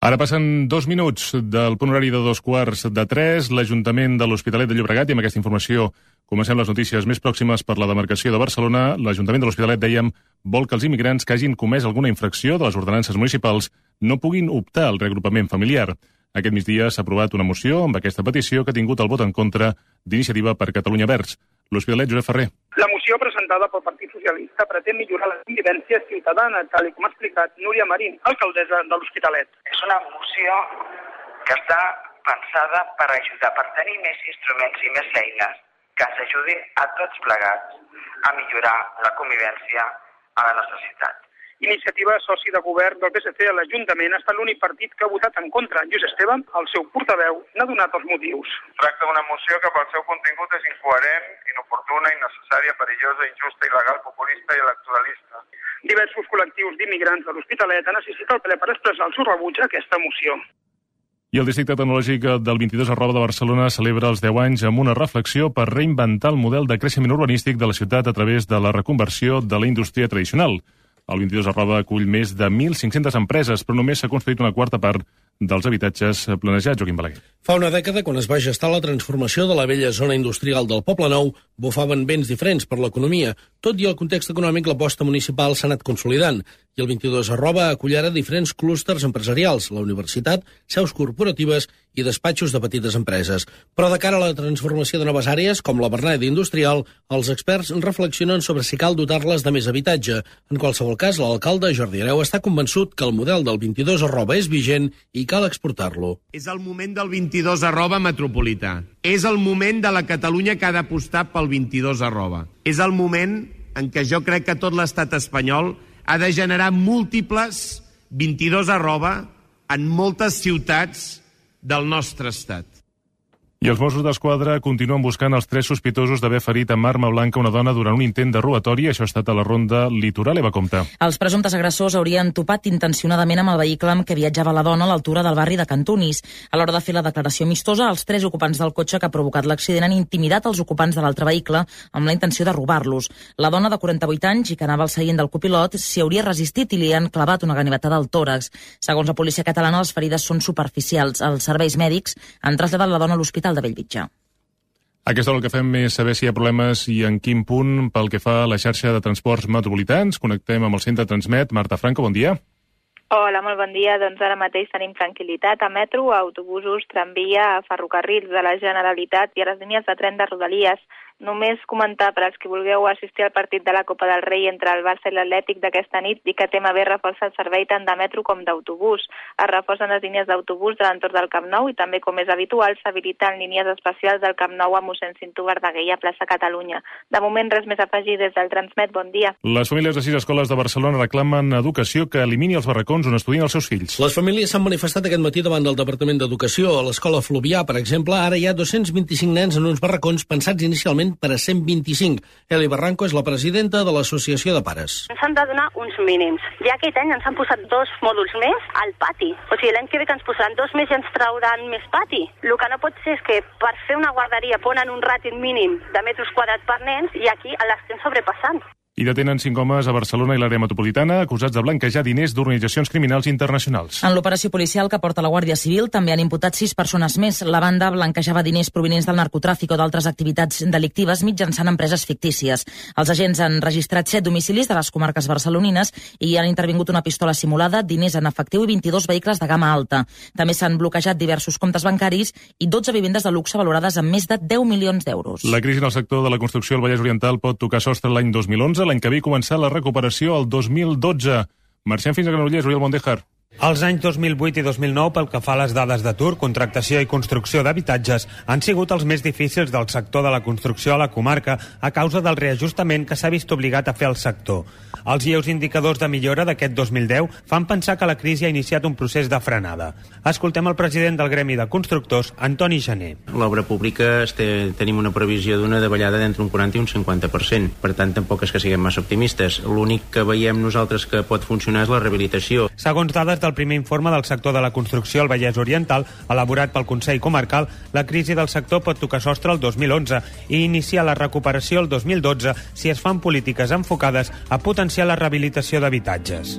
Ara passen 2 minuts del punt horari de 2:15. L'Ajuntament de l'Hospitalet de Llobregat, i amb aquesta informació comencem les notícies més pròximes per la demarcació de Barcelona. L'Ajuntament de l'Hospitalet, dèiem, vol que els immigrants que hagin comès alguna infracció de les ordenances municipals no puguin optar al reagrupament familiar. Aquest migdia s'ha aprovat una moció amb aquesta petició que ha tingut el vot en contra d'Iniciativa per Catalunya Verds. L'Hospitalet, Josep Ferrer. La moció presentada pel Partit Socialista pretén millorar la convivència ciutadana, tal com ha explicat Núria Marín, alcaldessa de l'Hospitalet. És una moció que està pensada per ajudar, per tenir més instruments i més eines que ens ajudin a tots plegats a millorar la convivència a la nostra ciutat. Iniciativa, soci de govern del PSC a l'Ajuntament, ha estat l'únic partit que ha votat en contra. Lluís Esteve, el seu portaveu, n'ha donat els motius. Tracta d'una moció que pel seu contingut és incoherent, inoportuna, innecessària, perillosa, injusta, il·legal, populista i electoralista. Diversos col·lectius d'immigrants de l'Hospitalet han assistit al ple per expressar el seu rebuig a aquesta moció. I el Districte Tecnològic del 22@ de Barcelona celebra els 10 anys amb una reflexió per reinventar el model de creixement urbanístic de la ciutat a través de la reconversió de la indústria tradicional. El 22@ acull més de 1.500 empreses, però només s'ha construït una quarta part dels habitatges planejats. Joaquim Balaguer. Fa una dècada, quan es va gestar la transformació de la vella zona industrial del Poble Nou, bufaven vents diferents per l'economia. Tot i el context econòmic, l'aposta municipal s'ha anat consolidant. I el 22@ acull ara diferents clústers empresarials, la universitat, seus corporatives i despatxos de petites empreses. Però de cara a la transformació de noves àrees, com la Berneda Industrial, els experts reflexionen sobre si cal dotar-les de més habitatge. En qualsevol cas, l'alcalde Jordi Hereu està convençut que el model del 22@ és vigent i cal exportar-lo. És el moment del 22@ metropolità. És el moment de la Catalunya que ha d'apostar pel 22@. És el moment en què jo crec que tot l'estat espanyol ha de generar múltiples 22@ en moltes ciutats del nostre estat. I els Mossos d'Esquadra continuen buscant els 3 sospitosos d'haver ferit amb arma blanca una dona durant un intent de robatori. Això ha estat a la ronda Litoral. Eva Compte. Els presumptes agressors haurien topat intencionadament amb el vehicle amb què viatjava la dona a l'altura del barri de Cantunis. A l'hora de fer la declaració amistosa, els 3 ocupants del cotxe que ha provocat l'accident han intimidat els ocupants de l'altre vehicle amb la intenció de robar-los. La dona de 48 anys i que anava al seient del copilot s'hi hauria resistit i li han clavat una ganivetada al tòrax. Segons la policia catalana, les ferides són superficials. Els serveis mèdics han traslladat la dona a l'Hospital de Bellvitge. A aquesta hora el que fem és saber si hi ha problemes i en quin punt pel que fa a la xarxa de transports metropolitans. Connectem amb el centre Transmet. Marta Franco, bon dia. Hola, molt bon dia. Doncs ara mateix tenim tranquil·litat a metro, a autobusos, tramvia, a ferrocarrils de la Generalitat i a les línies de tren de Rodalies. Només comentar per als que vulgueu assistir al partit de la Copa del Rei entre el Barça i l'Atlètic d'aquesta nit i que TMB reforça el servei tant de metro com d'autobús. Es reforcen les línies d'autobús de l'entorn del Camp Nou i també, com és habitual, s'habiliten línies especials del Camp Nou a mossèn Cinto Verdaguer i a plaça Catalunya. De moment, res més a afegir des del Transmet. Bon dia. Les famílies de 6 escoles de Barcelona reclamen educació que elimini els barracons on estudien els seus fills. Les famílies s'han manifestat aquest matí davant del Departament d'Educació. A l'escola Fluvià, per exemple, ara hi ha 225 nens en uns barracons pensats inicialment per a 125. Eli Barranco és la presidenta de l'Associació de Pares. Ens han de donar uns mínims. Ja aquest any ens han posat 2 mòduls més al pati. O sigui, l'any que ve que ens posaran 2 més i ens trauran més pati. El que no pot ser és que per fer una guarderia ponen un ràtio mínim de metres quadrats per nens i aquí l'estem sobrepassant. I detenen 5 homes a Barcelona i l'àrea metropolitana acusats de blanquejar diners d'organitzacions criminals internacionals. En l'operació policial que porta la Guàrdia Civil també han imputat 6 persones més. La banda blanquejava diners provinents del narcotràfic o d'altres activitats delictives mitjançant empreses fictícies. Els agents han registrat 7 domicilis de les comarques barcelonines i han intervingut una pistola simulada, diners en efectiu i 22 vehicles de gamma alta. També s'han bloquejat diversos comptes bancaris i 12 vivendes de luxe valorades amb més de 10 milions d'euros. La crisi en el sector de la construcció al Vallès Oriental pot tocar sostre l'any 2011, l'any que ve començar la recuperació el 2012. Marxem fins a Granollers, Oriol Mondejar. Els anys 2008 i 2009, pel que fa a les dades d'atur, contractació i construcció d'habitatges, han sigut els més difícils del sector de la construcció a la comarca a causa del reajustament que s'ha vist obligat a fer el sector. Els lleus indicadors de millora d'aquest 2010 fan pensar que la crisi ha iniciat un procés de frenada. Escoltem el president del Gremi de Constructors, Antoni Gené. L'obra pública tenim una previsió d'una davallada d'entre un 40 i un 50%. Per tant, tampoc és que siguem massa optimistes. L'únic que veiem nosaltres que pot funcionar és la rehabilitació. Segons dades del primer informe del sector de la construcció al Vallès Oriental, elaborat pel Consell Comarcal, la crisi del sector pot tocar sostre el 2011 i iniciar la recuperació el 2012 si es fan polítiques enfocades a potenciar la rehabilitació d'habitatges.